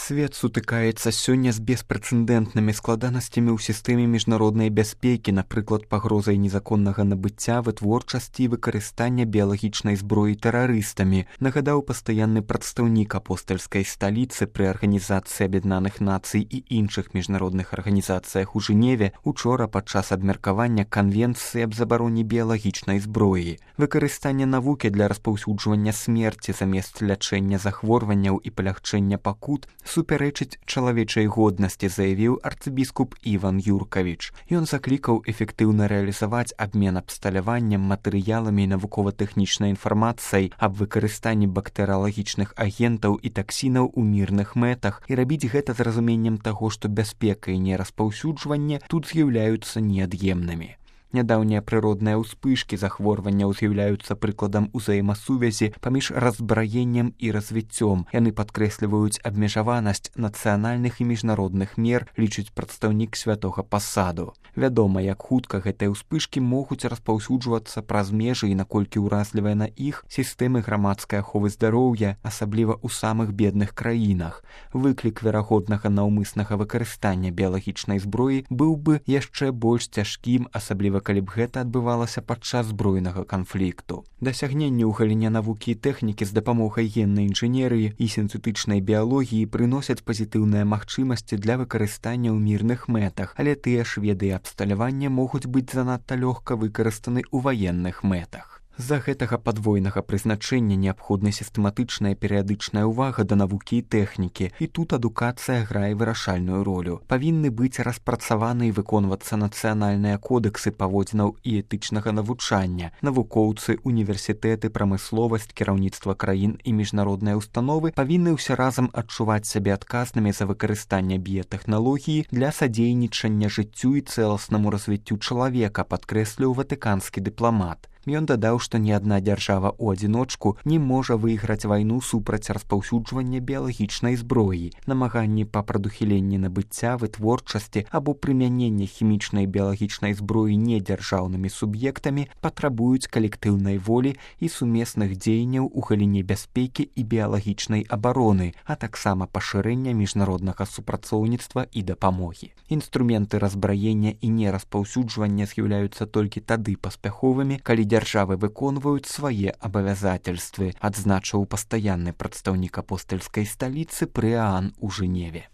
Свет сутыкаецца сёння з беспрэцэдэнтнымі складанасцямі ў сістэме міжнароднай бяспекі, напрыклад, пагрозай незаконнага набыцця, вытворчасці і выкарыстання біялагічнай зброі тэрарыстамі, нагадаў пастаянны прадстаўнік апостальскай сталіцы пры Арганізацыі Аб'яднаных Нацый і іншых міжнародных арганізацыях у Жэневе учора падчас абмеркавання канвенцыі аб забароне біялагічнай зброі. Выкарыстанне навукі для распаўсюджвання смерці замест лячэння захворванняў і палягчэння пакут супярэчыць чалавечай годнасці, заявіў арцыбіскуп Іван Юркавіч. Ён заклікаў эфектыўна рэалізаваць абмен абсталяваннем, матэрыяламі і навукова-тэхнічнай інфармацыяй аб выкарыстанні бактэрыялагічных агентаў і таксінаў у мірных мэтах і рабіць гэта з разуменнем таго, што бяспека і нераспаўсюджванне тут з'яўляюцца неад'емнымі. Нядаўнія прыродныя ўспышкі захворванняў з'яўляюцца прыкладам узаемасувязі паміж разбраеннем і развіццём. Яны падкрэсліваюць абмежаванасць нацыянальных і міжнародных мер, лічыць прадстаўнік святога пасаду. Вядома, як хутка гэтыя ўспышкі могуць распаўсюджвацца праз межы і наколькі ўразлівыя на іх сістэмы грамадскай аховы здароўя, асабліва ў самых бедных краінах. Выклік верагоднага наўмыснага выкарыстання біялагічнай зброі быў бы яшчэ больш цяжкім, асабліва калі б гэта адбывалася падчас збройнага канфлікту. Дасягненні ў галіне навукі і тэхнікі з дапамогай геннай інжынерыі і сінтэтычнай біялогіі прыносяць пазітыўныя магчымасці для выкарыстання ў мірных мэтах, але тыя ж веды і абсталявання могуць быць занадта лёгка выкарыстаны ў ваенных мэтах. З-за гэтага падвойнага прызначэння неабходна сістэматычная перыядычная ўвага да навукі і тэхнікі, і тут адукацыя грае вырашальную ролю. Павінны быць распрацаваны і выконвацца нацыянальныя кодэксы паводзінаў і этычнага навучання. Навукоўцы, універсітэты, прамысловасць, кіраўніцтва краін і міжнародныя ўстановы павінны ўсе разам адчуваць сябе адказнымі за выкарыстанне біятэхналогіі для садзейнічання жыццю і цэласнаму развіццю чалавека, падкрэсліў ватыканскі дыпламат. Ён дадаў, што ні адна дзяржава ў адзіночку не можа выйграць вайну супраць распаўсюджвання біялагічнай зброі. Намаганні па прадухіленні набыцця, вытворчасці або прымянення хімічнай біялагічнай зброі недзяржаўнымі суб'ектамі патрабуюць калектыўнай волі і сумесных дзеянняў у галіне бяспекі і біялагічнай абароны, а таксама пашырэння міжнароднага супрацоўніцтва і дапамогі. Інструменты разбраення і нераспаўсюджвання з'яўляюцца толькі тады паспяховымі, калі дзяржавы выконваюць свае абавязательствы, адзначыў пастаянны прадстаўнік апостальскай сталіцы пры ААН у Жэневе.